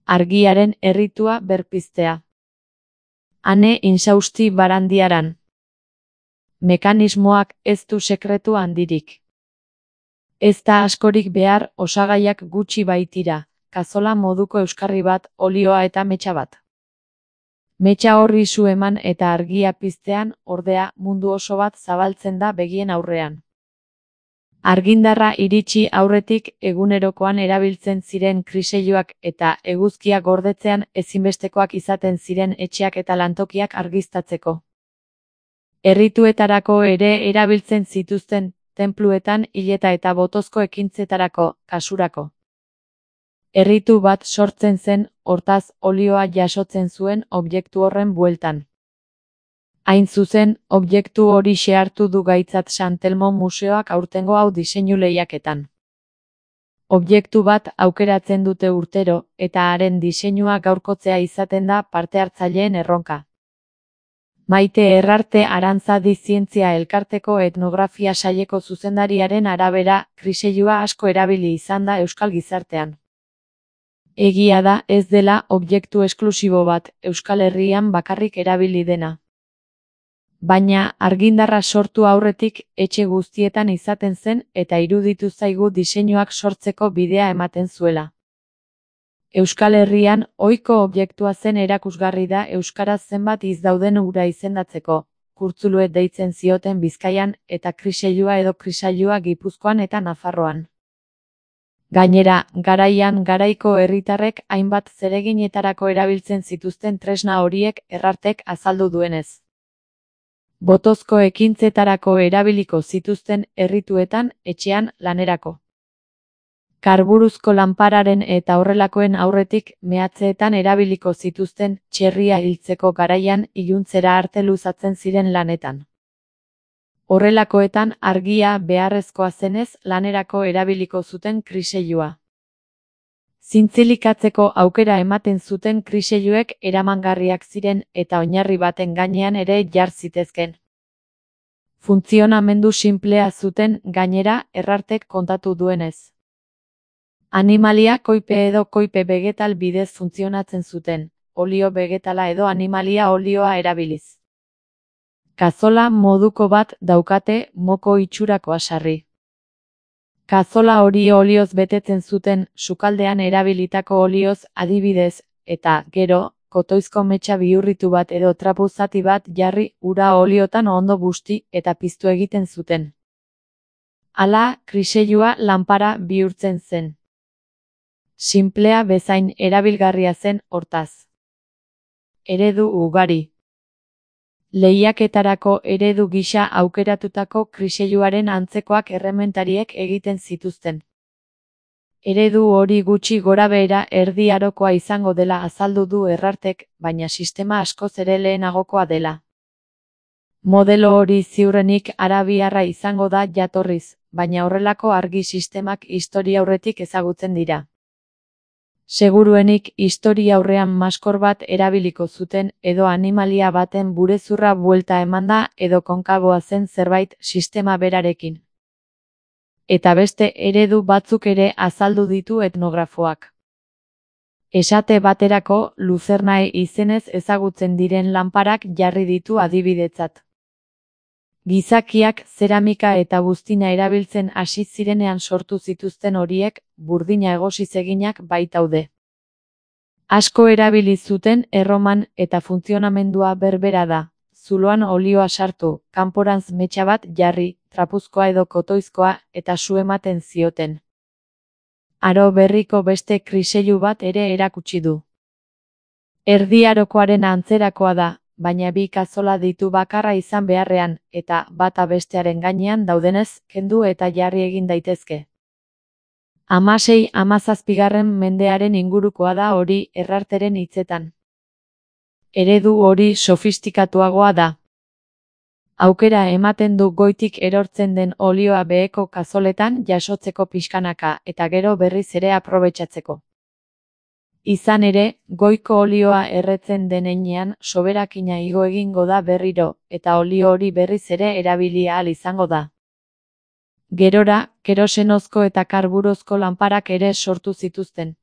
argiaren erritua berpiztea. Ane insausti barandiaran. Mekanismoak ez du sekretu handirik. Ez da askorik behar, osagaiak gutxi baitira, kazola moduko euskarri bat, olioa eta metxa bat. Metxa horri zu eman eta argia piztean, ordea, mundu oso bat zabaltzen da begien aurrean. Argindarra iritsi aurretik egunerokoan erabiltzen ziren kriseiluak eta eguzkia gordetzean ezinbestekoak izaten ziren etxeak eta lantokiak argiztatzeko. Errituetarako ere erabiltzen zituzten, tenpluetan hileta eta botozko ekintzetarako, kasurako. Erritu bat sortzen zen, hortaz olioa jasotzen zuen objektu horren bueltan. Hain zuzen, objektu hori hartu du gaitzat San Telmo museoak aurtengo hau diseinu lehiaketan. Objektu bat aukeratzen dute urtero, eta haren diseinua gaurkotzea izaten da parte hartzaileen erronka. Maite Errarte Arantzadi Zientzia Elkarteko etnografia saileko zuzendariaren arabera, kriseilua asko erabili izan da euskal gizartean. Egia da ez dela objektu esklusibo bat, Euskal Herrian bakarrik erabili dena. Baina, argindarra sortu aurretik etxe guztietan izaten zen eta iruditu zaigu diseinuak sortzeko bidea ematen zuela. Euskal Herrian, ohiko objektua zen erakusgarri da euskaraz zenbat hitz dauden ura izendatzeko, kurtzuluet deitzen zioten Bizkaian eta kriseilua edo krisailua Gipuzkoan eta Nafarroan. Gainera, garaian garaiko herritarrek hainbat zereginetarako erabiltzen zituzten tresna horiek Errartek azaldu duenez. Botozko ekintzetarako erabiliko zituzten errituetan, etxean, lanerako. Karburuzko lanpararen eta horrelakoen aurretik mehatzeetan erabiliko zituzten txerria hiltzeko garaian iluntzera arte luzatzen ziren lanetan. Horrelakoetan argia beharrezkoa zenez lanerako erabiliko zuten kriseilua. Zintzilikatzeko aukera ematen zuten kriseiluek eramangarriak ziren eta oinarri baten gainean ere jar zitezken. Funtzionamendu sinplea zuten gainera Errartek kontatu duenez. Animalia koipe edo koipe vegetal bidez funtzionatzen zuten, olio vegetala edo animalia olioa erabiliz. Kazola moduko bat daukate moko itxurakoa sarri. Kazola hori olioz betetzen zuten, sukaldean erabilitako olioz adibidez, eta, gero, kotoizko metxa bihurritu bat edo trapu zati bat jarri ura oliotan ondo busti eta piztu egiten zuten. Hala, kriseilua lanpara bihurtzen zen. Sinplea bezain erabilgarria zen hortaz. Eredu ugari. Lehiaketarako eredu gisa aukeratutako kriseiluaren antzekoak errementariek egiten zituzten. Eredu hori gutxi gorabehera erdi arokoa izango dela azaldu du Errartek, baina sistema askoz ere lehenagokoa dela. Modelo hori ziurrenik arabiarra izango da jatorriz, baina horrelako argi sistemak historiaurretik ezagutzen dira. Seguruenik historiaurrean maskor bat erabiliko zuten edo animalia baten burezurra buelta emanda edo konkaboa zen zerbait sistema berarekin. Eta beste eredu batzuk ere azaldu ditu etnografoak. Esate baterako, luzernae izenez ezagutzen diren lanparak jarri ditu adibidetzat. Gizakiak zeramika eta buztina erabiltzen hasi zirenean sortu zituzten horiek, burdina egosiz eginak baitaude. Asko erabili zuten Erroman eta funtzionamendua berbera da. Zuloan olioa sartu, kanporantz metxa bat jarri, trapuzkoa edo kotoizkoa eta su ematen zioten. Aro berriko beste kriseilu bat ere erakutsi du. Erdi arokoaren antzerakoa da, baina bi kazola ditu bakarra izan beharrean, eta bata bestearen gainean daudenez, kendu eta jarri egin daitezke. 16-17 mendearen ingurukoa da hori Errarteren hitzetan. Eredu hori sofistikatuagoa da. Aukera ematen du goitik erortzen den olioa beheko kazoletan jasotzeko pixkanaka eta gero berriz ere aprobetxatzeko. Izan ere, goiko olioa erretzen denean soberakina igo egingo da berriro, eta olio hori berriz ere erabili ahal izango da. Gerora, kerosenozko eta karburozko lanparak ere sortu zituzten.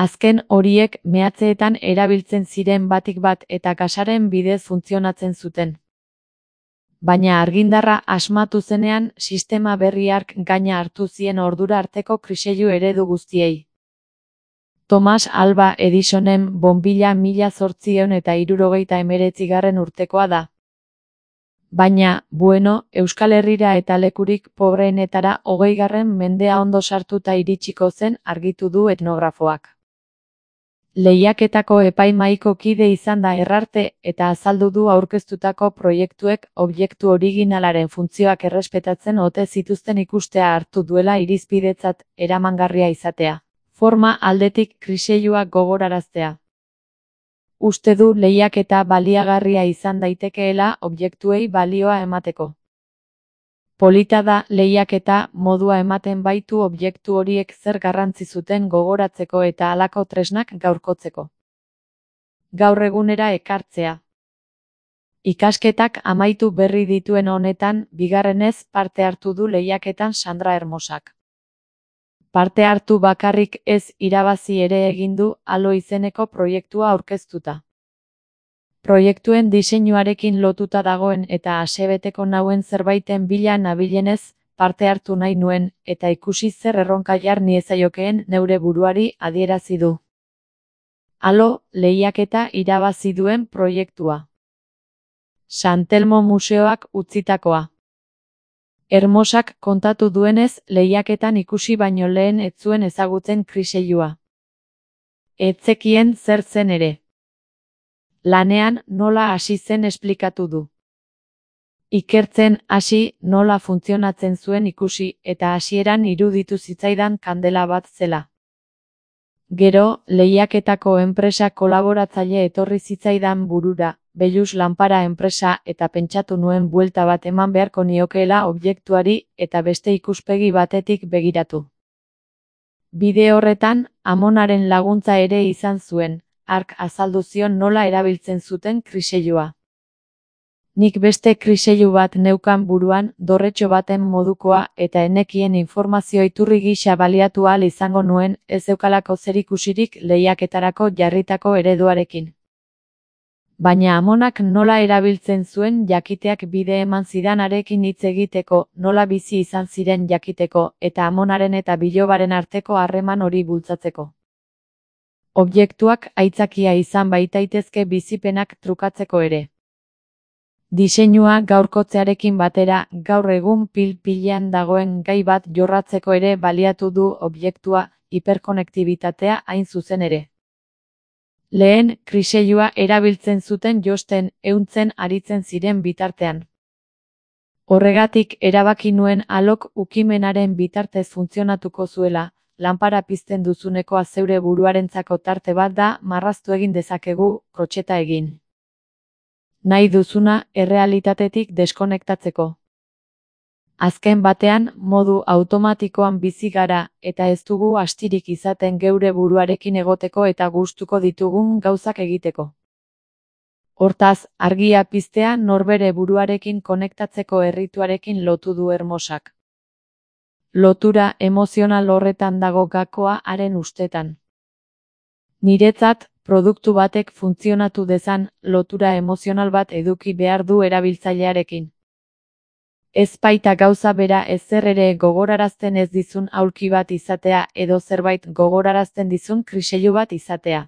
Azken horiek meatzeetan erabiltzen ziren batik bat eta gasaren bidez funtzionatzen zuten. Baina argindarra asmatu zenean, sistema berri hark gaina hartu zien ordura arteko kriseilu eredu guztiei. Thomas Alva Edisonen bonbilla 1879 urtekoa da. Baina, Euskal Herrira eta lekurik pobreenetara 20. mendea ondo sartuta iritsiko zen argitu du etnografoak. Lehiaketako epaimahaiko kide izan da Herrarte eta azaldu du aurkeztutako proiektuek objektu originalaren funtzioak errespetatzen ote zituzten ikustea hartu duela irizpidetzat eramangarria izatea. Forma aldetik kriseilua gogoraraztea. Uste du lehiaketa baliagarria izan daitekeela objektuei balioa emateko. Polita da lehiaketa modua ematen baitu objektu horiek zer garrantzi zuten gogoratzeko eta halako tresnak gaurkotzeko. Gaur egunera ekartzea. Ikasketak amaitu berri dituen honetan, bigarrenez parte hartu du lehiaketan Sandra Hermosak. Parte hartu bakarrik ez irabazi ere egin du Alo izeneko proiektua aurkeztuta. Proiektuen diseinuarekin lotuta dagoen eta asebeteko nauen zerbaiten bila nabilenez, parte hartu nahi nuen, eta ikusi zer erronka jar niezaiokeen neure buruari adierazi du. Alo, lehiaketa irabazi duen proiektua. San Telmo Museoak utzitakoa. Hermosak kontatu duenez, lehiaketan ikusi baino lehen ez zuen ezagutzen kriseilua. Ez zekien zer zen ere. Lanean nola hasi zen esplikatu du. Ikertzen hasi nola funtzionatzen zuen ikusi eta hasieran iruditu zitzaidan kandela bat zela. Gero, lehiaketako enpresa kolaboratzaile etorri zitzaidan burura, Bellus Lanpara enpresa eta pentsatu nuen buelta bat eman beharko niokeela objektuari eta beste ikuspegi batetik begiratu. Bide horretan, Amonaren laguntza ere izan zuen, hark azaldu zion nola erabiltzen zuten kriseilua. Nik beste kriseilu bat neukan buruan, dorretxo baten modukoa eta enekien informazio iturri gisa baliatu ahal izango nuen, ez zeukalako zerikusirik lehiaketarako jarritako ereduarekin. Baina Amonak nola erabiltzen zuen jakiteak bide eman zidanarekin hitz egiteko, nola bizi izan ziren jakiteko, eta Amonaren eta bilobaren arteko harreman hori bultzatzeko. Objektuak aitzakia izan baitaitezke bizipenak trukatzeko ere. Diseinua gaurkotzearekin batera, gaur egun pil-pilean dagoen gai bat jorratzeko ere baliatu du objektua, hiperkonektibitatea hain zuzen ere. Lehen, kriseilua erabiltzen zuten josten, ehuntzen aritzen ziren bitartean. Horregatik erabaki nuen Alok ukimenaren bitartez funtzionatuko zuela, lanpara pizten duzunekoa zeure buruarentzako tarte bat da, marraztu egin dezakegu, krotxeta egin. Nahi duzuna errealitatetik deskonektatzeko. Azken batean, modu automatikoan bizi gara, eta ez dugu astirik izaten geure buruarekin egoteko eta gustuko ditugun gauzak egiteko. Hortaz, argia piztea norbere buruarekin konektatzeko errituarekin lotu du Hermosak. Lotura emozional horretan dago gakoa haren ustetan. Niretzat, produktu batek funtzionatu dezan, lotura emozional bat eduki behar du erabiltzailearekin. Ez baita gauza bera ezer ere gogorarazten ez dizun aulki bat izatea edo zerbait gogorarazten dizun kriseilu bat izatea.